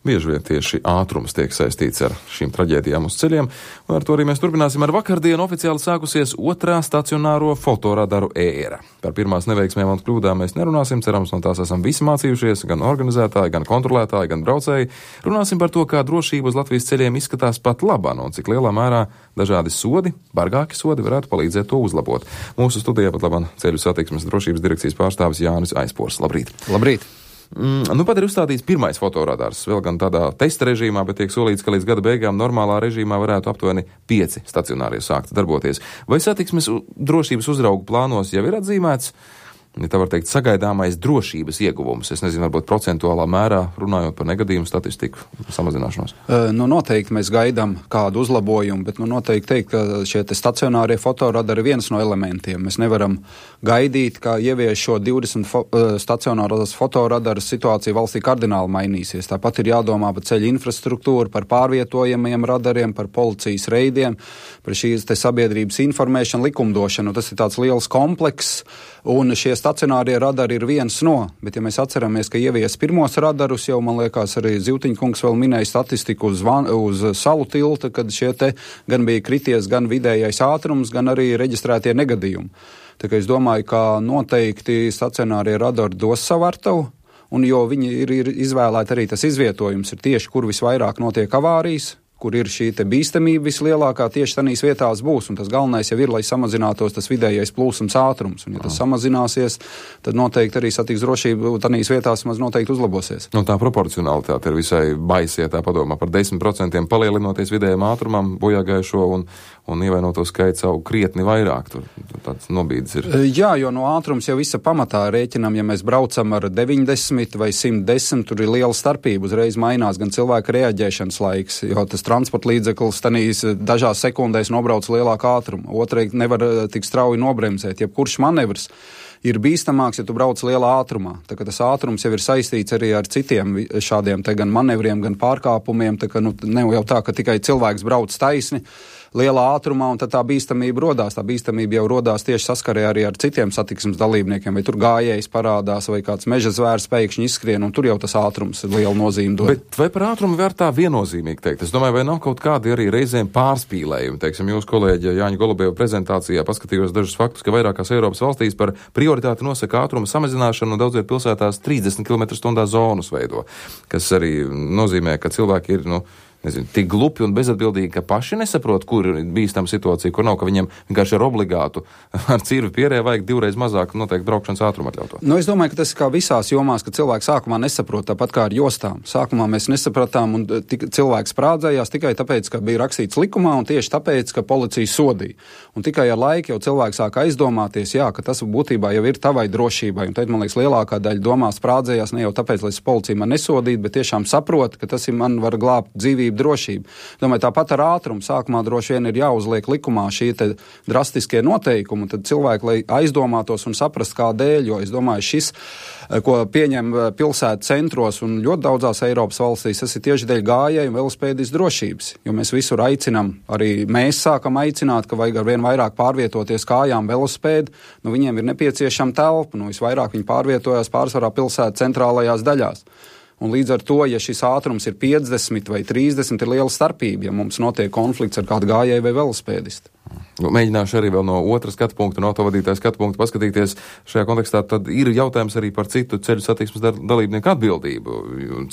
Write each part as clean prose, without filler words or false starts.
Bieži vien tieši ātrums tiek saistīts ar šīm traģēdijām uz ceļiem, un ar to arī mēs turpināsim. Ar vakardienu oficiāli sākusies otrā stacionāro fotoradaru ēra. Par pirmās neveiksmēm un kļūdām mēs nerunāsim, cerams, no tās esam visi mācījušies, gan organizētāji, gan kontrolētāji, gan braucēji. Runāsim par to, kā drošība uz Latvijas ceļiem izskatās pat labāk, un cik lielā mērā dažādi sodi, bargāki sodi varētu palīdzēt to uzlabot. Mūsu studijā pat labāk ceļu satiksmes drošības direkcijas pārstāvis Jānis Aizpors. Labrīt! Labrīt! Nu, pat ir uzstādīts pirmais fotoradars, vēl gan tādā testa režīmā, bet tiek solīts, ka līdz gada beigām normālā režīmā varētu aptuveni 5 stacionārie sākt darboties. Vai satiksmes drošības uzraugu plānos jau ir atzīmēts, ja tā var teikt, sagaidāmais drošības ieguvums? Es nezinu, varbūt procentuālā mērā, runājot par negadījumu statistiku samazināšanos. Noteikti mēs gaidām kādu uzlabojumu, bet noteikti teikt, ka šie stacionārie fotoradari ir viens no elementiem. Mēs nevaram gaidīt, ka ievieš šo 20 stacionāros fotoradarus, situācija valstī kardināli mainīsies. Tāpat ir jādomā par ceļu infrastruktūru, par pārvietojamiem radariem, par policijas reidiem, par šīs sabiedrības informēšanu, likumdošanu. Tas ir tāds liels komplekss, un šie stacionārie radari ir viens no, bet ja mēs atceramies, ka ievies pirmos radarus, jau man liekas arī Zivtiņkungs vēl minēja statistiku uz Salu tilta, kad šie te gan bija krities gan vidējais ātrums, gan arī reģistrētie negadījumi. Tā kā es domāju, ka noteikti stacionārie radari dos savu artavu, un jo viņi ir izvēlēti arī tas izvietojums ir tieši, kur visvairāk notiek avārijas, kur ir šī bīstamība vislielākā, tieši tanīs vietās būs, un tas galvenais jau ir, lai samazinātos tas vidējais plūsums ātrums, un ja tas samazināsies, tad noteikti arī satiksmes drošība tanīs vietās maz noteikti uzlabosies. Nu, tā proporcionalitāte ir visai baisa, ja tā padomā par 10% palielinoties vidējiem ātrumam, bojāgājušo un ievainoto skaits aug krietni vairāk. Tur tāds nobīdes ir. Jā, jo no ātrums jau visa pamatā rēķinam, ja mēs braucam ar 90 vai 110, tur ir liela starpība, uzreiz mainās gan cilvēka reaģēšanas laiks, jo tas transporta līdzeklis tanīs dažās sekundēs nobrauc lielāku ātrumu. Otrēji nevar tik strauji nobremzēt. Jebkurš manevrs ir bīstamāks, ja tu brauc lielā ātrumā. Tā kā tas ātrums jau ir saistīts arī ar citiem šādiem te gan manevriem, gan pārkāpumiem. Tā kā ne jau tā, ka tikai cilvēks brauc taisni lielā ātrumā, un tad tā bīstamība rodās. Tā bīstamība jau rodās tieši saskarē arī ar citiem satiksmes dalībniekiem, vai tur gājējs parādās, vai kāds meža zvērs pēkšņi izskrien, un tur jau tas ātrums ir liela nozīme dod. Bet vai par ātrumu var tā viennozīmīgi teikt? Es domāju, vai nav kaut kādi arī reizēm pārspīlējumi? Teiksim, jūsu kolēģi Jāņa Golubeva prezentācijā paskatījos dažus faktus, ka vairākās Eiropas valstīs par prioritāti nosaka ātruma samazināšanu, un daudzviet pilsētās 30 km/h zonus veido, kas arī nozīmē, ka cilvēki ir, tik glupi un bezatbildīgi, ka paši nesaprot, kur ir bīstama situācija, kur nav, ka viņiem vienkārši ir obligātu ar cirvi pierē vajag 2 reizes mazāk noteikti braukšanas ātrumu atļautu. Es domāju, ka tas ir kā visās jomās, ka cilvēki sākumā nesaprot, tāpat kā ar jostām. Sākumā mēs nesapratām, un cilvēks sprādzējās tikai tāpēc, ka bija rakstīts likumā, un tieši tāpēc, ka policija sodīja. Un tikai ar laiku jau cilvēks sāk aizdomāties, ka tas būtībā jau ir tavai drošībai. Un tad, man liekas, lielākā daļa domā sprādzējās ne jau tāpēc, lai policija man nesodītu, bet tiešām saprot, ka tas ir man var glābt dzīvību, drošību. Domāju, tāpat ar ātrumu sākumā droši vien ir jāuzliek likumā šie drastiskie noteikumi, tad cilvēki, lai aizdomātos un saprast, kādēļ, jo es domāju, šis, ko pieņem pilsētu centros un ļoti daudzās Eiropas valstīs, tas ir tieši dēļ gājēju un velospēdistu drošības, jo mēs visur aicinām, arī mēs sākam aicināt, ka vajag ar vien vairāk pārvietoties kājām velospēdi, viņiem ir nepieciešama telpa, visvairāk viņi pārvietojās pārsvarā pilsētu centrālajās daļās. Un līdz ar to, ja šis ātrums ir 50 vai 30, ir liela starpība, ja mums notiek konflikts ar kādu gājēju vai velospēdistu. Mēģināšu arī vēl no otra skatu punkta, no autovadītāja skatu punkta paskatīties šajā kontekstā, tad ir jautājums arī par citu ceļu satiksmes dalībnieku atbildību.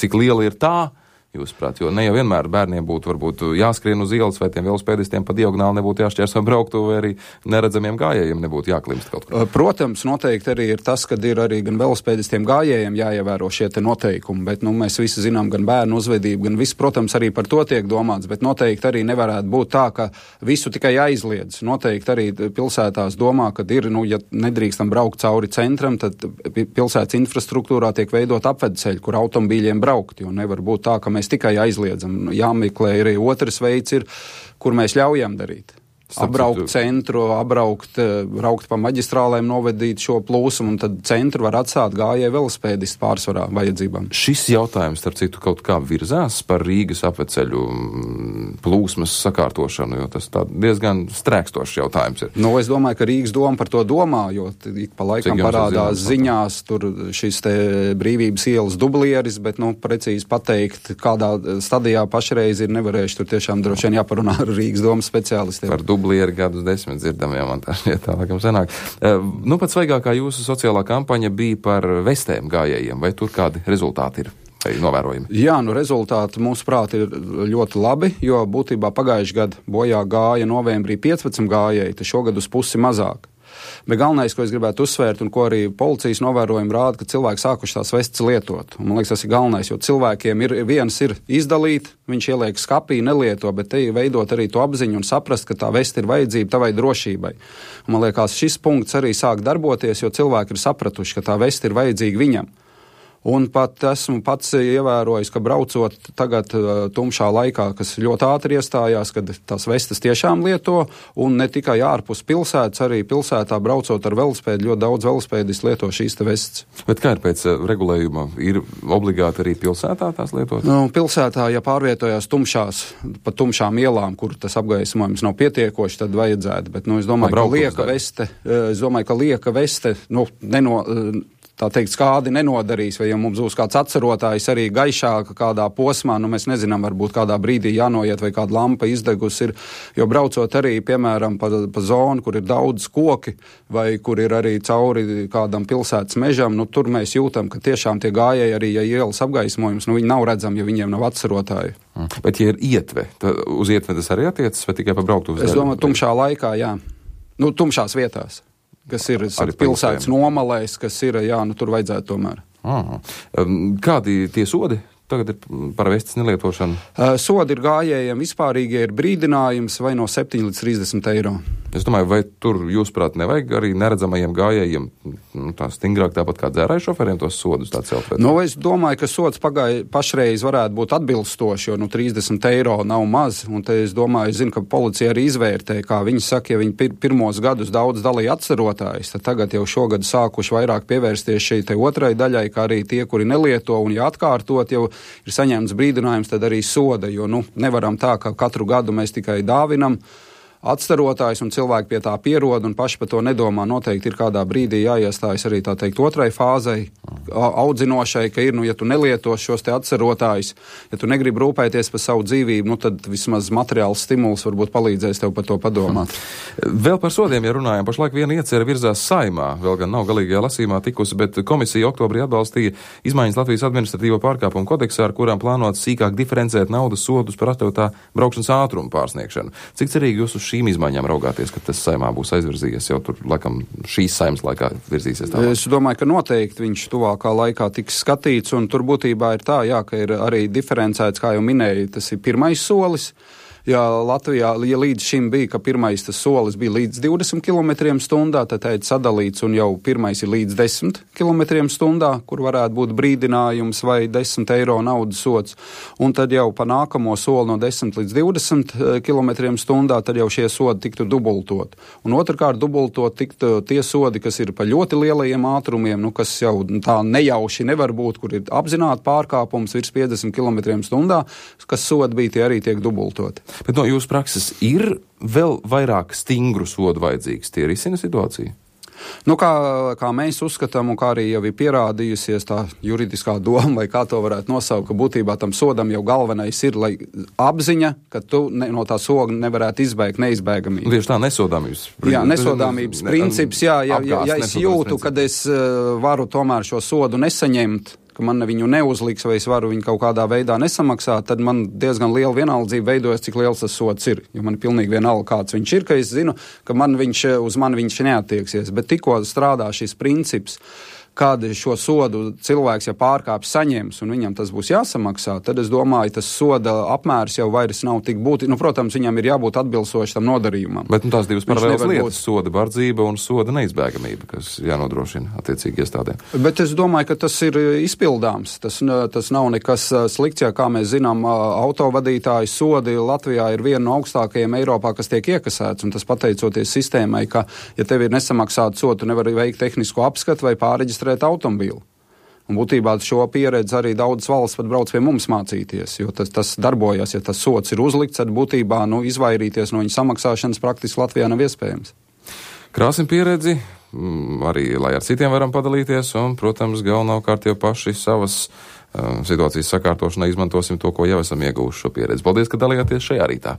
Cik liela ir tā? Jūsuprāt, jo ne jau vienmēr bērniem būtu varbūt jāskrien uz ielas, vai tiem velospēdistiem pa diagonāli nebūtu jāšķērso brauktuvi, vai arī neredzamiem gājējiem nebūtu jāklimst kaut kur. Protams, noteikti arī ir tas, kad ir arī gan velospēdistiem gājējiem jāievēro šie te noteikumi, bet mēs visi zinām gan bērnu uzvedību, gan viss, protams, arī par to tiek domāts, bet noteikti arī nevarētu būt tā, ka visu tikai aizliedz. Noteikti arī pilsētās domā, kad ir, ja nedrīkstam braukt cauri centram, tad pilsētas infrastruktūrā tiek veidot apvedceļi, kur automobīļiem braukt, jo nevar būt tā, ka mēs tikai aizliedzam. Jāmeklē arī otrs veids ir, kur mēs ļaujam darīt. Apbraukt centru, braukt pa maģistrālēm, novedīt šo plūsumu, un tad centru var atstāt gājēju velospēdistu pārsvarā vajadzībām. Šis jautājums, starp citu, kaut kā virzās par Rīgas apveceļu plūsmas sakārtošanu, jo tas diezgan strēkstošs jautājums ir. Es domāju, ka Rīgas doma par to domā, jo ik pa laikam parādās ziņās tur šis te Brīvības ielas dublieris, bet, precīzi pateikt, kādā stadijā pašreiz ir nevarējuši, tur tiešām droši vien jāparunā ar Rīgas domas speciālistiem. Par dublieri gadus 10 dzirdam, jā, man tā laikam sanāk. Pats svaigākā jūsu sociālā kampaņa bija par vestēm gājējiem, vai tur kādi rezultāti ir? Novērojami. Jā, rezultāti mūsuprāt ir ļoti labi, jo būtībā pagājuši gadu bojā gāja novembrī 15 gājēji, tad šogad uz pusi mazāk. Bet galvenais, ko es gribētu uzsvērt un ko arī policijas novērojumi rāda, ka cilvēki sākuši tās vestes lietot. Un, man liekas, tas ir galvenais, jo cilvēkiem viens ir izdalīt, viņš ieliek skapī, nelieto, bet te veidot arī to apziņu un saprast, ka tā veste ir vajadzība tavai drošībai. Un, man liekas, šis punkts arī sāk darboties, jo cilvēki ir sapratuši, ka tā veste ir vajadzīga viņam. Un pat esmu pats ievērojis, ka braucot tagad tumšā laikā, kas ļoti ātri iestājās, kad tās vestes tiešām lieto, un ne tikai ārpus pilsētas, arī pilsētā braucot ar velospēdu, ļoti daudz velospēdisti lieto šīs te vestes. Bet kā ir pēc regulējuma? Ir obligāti arī pilsētā tās lietot? Pilsētā, ja pārvietojās pa tumšām ielām, kur tas apgaismojums nav pietiekoši, tad vajadzētu, bet es domāju, ka lieka veste, tā teikt, skādi nenodarīs, vai ja mums būs kāds atcerotājs arī gaišāka kādā posmā, mēs nezinām, varbūt kādā brīdī jānoiet vai kāda lampa izdegus ir, jo braucot arī, piemēram, pa zonu, kur ir daudz koki, vai kur ir arī cauri kādam pilsētas mežam, tur mēs jūtam, ka tiešām tie gājēji arī, ja ielas apgaismojums, viņi nav redzami, ja viņiem nav atcerotāji. Bet ja ir ietve, tad uz ietve tas arī attiecas, vai tikai pa brauktuves? Es domāju, tumšā laikā, jā. Tumšās vietās. Kas ir pilsētas nomalēs, kas ir, tur vajadzētu tomēr. Kādi tie sodi tagad ir par vestes nelietošanu? Sodi ir gājējiem vispārīgie, ir brīdinājums vai no 7 līdz 30 eiro. Es domāju, vai tur, jūsuprāt, nevajag arī neredzamajiem gājējiem tā stingrāk tāpat kā dzērāju šoferiem tos sodus tā celt? Es domāju, ka sods pašreiz varētu būt atbilstoši, jo 30 eiro nav maz, un te es zinu, ka policija arī izvērtē, kā viņi saka, ja viņi pirmos gadus daudz dalīja atcerotājus, tad tagad jau šogad sākuši vairāk pievērsties šai te otrai daļai, kā arī tie, kuri nelieto, un ja atkārtot jau ir saņemts brīdinājums, tad arī soda, jo nevaram tā, ka katru gadu mēs tikai dāvinam atcerotājs un cilvēki pie tā pierod un paši par to nedomā. Noteikti ir kādā brīdī jāiestājas arī tā teikt otrai fāzei, audzinošai, ka ir, ja tu nelietos šos te atcerotājus, ja tu negribi rūpēties par savu dzīvību, tad vismaz materiāls stimuls varbūt palīdzēs tev par to padomāt. Vēl par sodiem, ja runājam, pašlaik viena iecere virzās Saeimā, vēl gan nav galīgajā lasījumā tikusi, bet komisija oktobrī atbalstīja izmaiņas Latvijas administratīvo pārkāpumu kodeksā, ar kurām plānot sīkāk diferencēt naudas sodus par atļautā braukšanas ātrumu pārsniegšanu. Cik cerīgi jūs uz šīm izmaiņām raugāties, ka tas Saeimā būs aizvirzījies jau tur, laikam, šīs Saeimas laikā virzīsies tālāk? Es domāju, ka noteikti viņš tuvākā laikā tiks skatīts, un tur būtībā ir tā, ka ir arī diferencēts, kā jau minēju, tas ir pirmais solis. Ja Latvijā, ja līdz šim bija, ka pirmais tas solis bija līdz 20 km/h, tad ir sadalīts un jau pirmais ir līdz 10 km/h, kur varētu būt brīdinājums vai 10 eiro naudas sods. Un tad jau pa nākamo soli no 10 līdz 20 km/h, tad jau šie sodi tiktu dubultot. Un otrkārt dubultot tiktu tie sodi, kas ir pa ļoti lielajiem ātrumiem, kas jau tā nejauši nevar būt, kur ir apzināti pārkāpums virs 50 km/h, kas sodi bija, tie arī tiek dubultoti. Bet no jūsu prakses ir vēl vairāk stingru sodu vajadzīgs? Tie risina situāciju? Kā mēs uzskatām, un kā arī jau ir pierādījusies tā juridiskā doma, vai kā to varētu nosaukt, ka būtībā tam sodam jau galvenais ir, lai apziņa, ka tu no tā soga nevarētu izbēgt neizbēgamību. Tieši tā, nesodāmības. Jā, nesodāmības princips, ja es jūtu, kad es varu tomēr šo sodu nesaņemt, ka man viņu neuzliks vai es varu viņu kaut kādā veidā nesamaksāt, tad man diezgan liela vienaldzība veidojas, cik liels tas sods ir. Jo man ir pilnīgi vienalga, kāds viņš ir, ka es zinu, ka uz mani viņš neattieksies. Bet tikko strādā šis princips, kad šo sodu cilvēks, ja pārkāpj saņems un viņam tas būs jāsamaksā, tad es domāju, tas soda apmērs jau vairs nav tik būtisks. Protams, viņam ir jābūt atbilstoši tam nodarījumam. Bet tās divas paralēlas lietas, soda bardzība un soda neizbēgamība, kas jānodrošina attiecīgi iestādēm. Bet es domāju, ka tas ir izpildāms. Tas nav nekas slikts, ja kā mēs zinām, autovadītāju sodi Latvijā ir viena no augstākajiem Eiropā, kas tiek iekasēts, un tas pateicoties sistēmai, ka, ja tev ir nesamaksāta soda, tu nevari veikt tehnisko apskatu vai pārreģistrēt automobīlu. Un būtībā šo pieredzi arī daudzas valsts pat brauc pie mums mācīties, jo tas darbojas, ja tas sots ir uzlikts, tad būtībā izvairīties no viņa samaksāšanas praktiski Latvijā nav iespējams. Krāsim pieredzi, arī lai ar citiem varam padalīties, un, protams, galvenokārt jau paši savas situācijas sakārtošanai izmantosim to, ko jau esam ieguvuši šo pieredzi. Paldies, ka dalījāties šajā rītā!